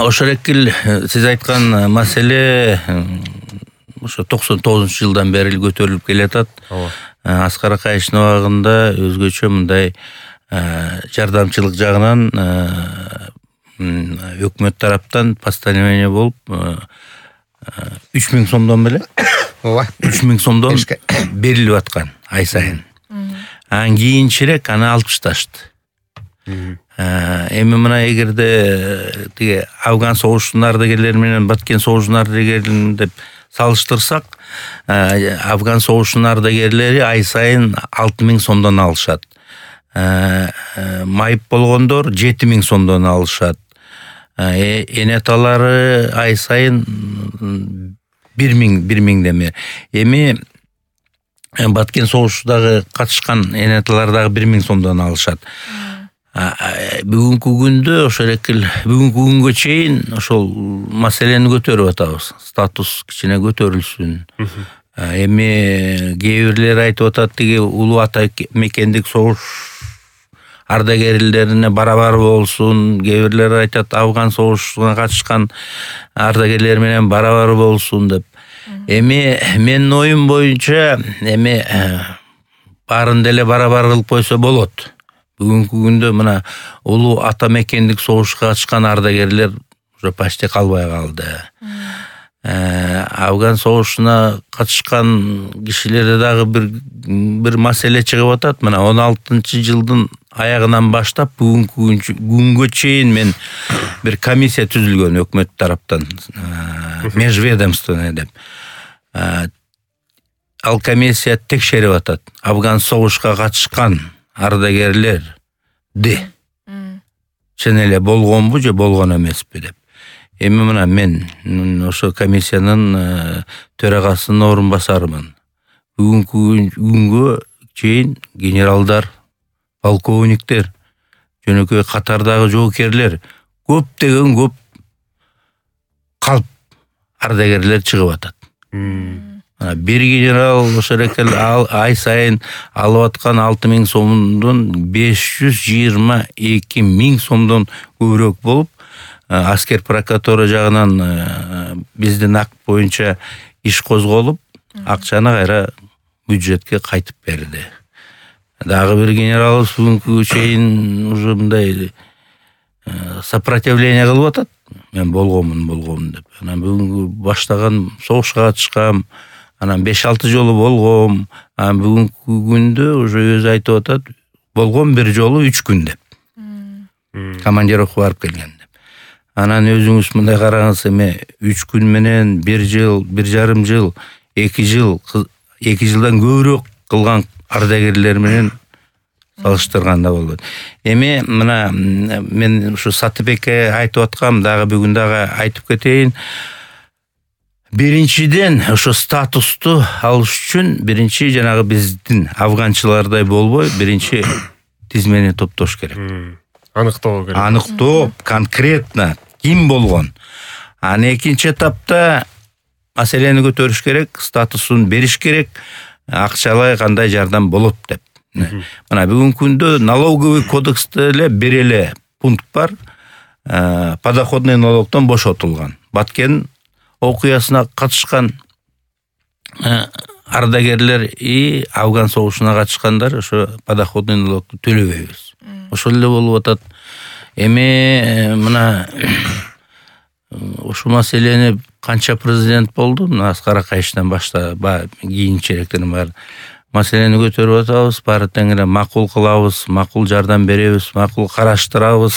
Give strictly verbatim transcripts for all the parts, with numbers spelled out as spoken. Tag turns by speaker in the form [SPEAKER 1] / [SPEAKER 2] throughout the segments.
[SPEAKER 1] ошол экил сиз айткан маселе ошо токсон тогузунчу жылдан бери көтөрүлүп келатат. Аскар Акаевичтин убагында өзгөчө мындай жардамчылык жагынан өкмөт тараптан постановление болуп үч миң сомдон беле?
[SPEAKER 2] Ооба.
[SPEAKER 1] үч миң сомдон берилип аткан ай сайын. Анан кийинчерээк аны алып ташташты. Эми мына эгерде тиги Афган согушунун ардагерлери менен Баткен согушунун ардагерлерин деп салыштырсак, Афган согушунун ардагерлери ай сайын алты миң сомдон алышат. Майып болгондор жети миң сомдон алышат. Энеталары ай сайын бир миң деме. Эми Баткен согушундагы катышкан энеталар дагы бир миң сомдон алышат. Бүгүнкү күндө ошол экил бүгүнкү күнгө чейин ошол маселени көтөрүп атабыз. Статус кичине көтөрүлсүн. Эми кээ бирлер айтып атат, тиги улуу ата мекендик согуш ардагерлерине барабар болсун. Кээ бирлер айтат, Афган согушуна катышкан ардагерлер менен барабар болсун деп. Эми менин оюм боюнча эми баарын деле барабар кылып койсо болот. Бүгүнкү күндө мына улуу ата мекендик согушка катышкан ардагерлер уже почти калбай калды. Афган согушуна катышкан кишилерде дагы бир бир маселе чыгып атат. Мына он алтынчы жылдын аягынан баштап бүгүнкү күнгө чейин мен бир комиссия түзүлгөн өкмөт тараптан, межведомственный деп. Ал комиссия текшерип атат. Афган согушка катышкан ардагерлерди чын эле болгонбу же болгон эмеспи деп. Эми мына мен ошо комиссиянын төрагасынын орун басарымын. Бүгүнкү күнгө чейин генералдар, полковниктер, жөнөкөй катардагы жоокерлер көптөгөн көп калп ардагерлер чыгып атат. Бир генерал ошол экел ай сайын алып аткан алты миң сомдон беш жүз жыйырма эки миң сомдон көбүрөөк болуп, аскер прокуратура жагынан биздин акт боюнча иш козголуп, акчаны кайра бюджетке кайтып берди. Дагы бир генералыбыз бүгүнкү чейин уже мындай сопротивление кылып атат. Мен болгонмун, болгонмун деп. Анан бүгүнкү баштаган согушка катышкам, анан беш алты жолу болгом. Анан бүгүнкү күндө уже өзү айтып атат, болгон бир жолу үч күн деп. Командировка барып келген деп. Анан өзүңүз мындай караңыз, эми үч күн менен бир жыл, бир жарым жыл, эки жыл, эки жылдан көбүрөөк кылган ардагерлер менен салыштырганда болот. Эми мына мен ушу Сатыбекке айтып аткам, дагы бүгүн дагы айтып кетейин. Биринчиден ошо статусту алыш үчүн биринчи жанагы биздин афганчылардай болбой, биринчи тизмени топтош керек.
[SPEAKER 2] Аныктоо керек.
[SPEAKER 1] Аныктоо конкретно ким болгон. Анан экинчи этапта маселени көтөрүш керек, статусун бериш керек, акчалай кандай жардам болот деп. Мына бүгүнкү күндө налоговый кодексте эле бир эле пункт бар. Подоходный налогтон бошотулган. Баткен окуясына катышкан ардагерлер и Афган согушуна катышкандар ошо подоходный налогду төлөбөйбүз. Ошол эле болуп атат. Эми мына ушул маселени канча президент болду? Мына Аскар Акаевичтен башта кийинчерээктен бар маселени көтөрүп атабыз. Баары теңире макул кылабыз, макул жардам беребиз, макул караштырабыз.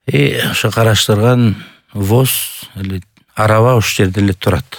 [SPEAKER 1] И ошо караштырган ВОЗ араба ошол жерде эле турат.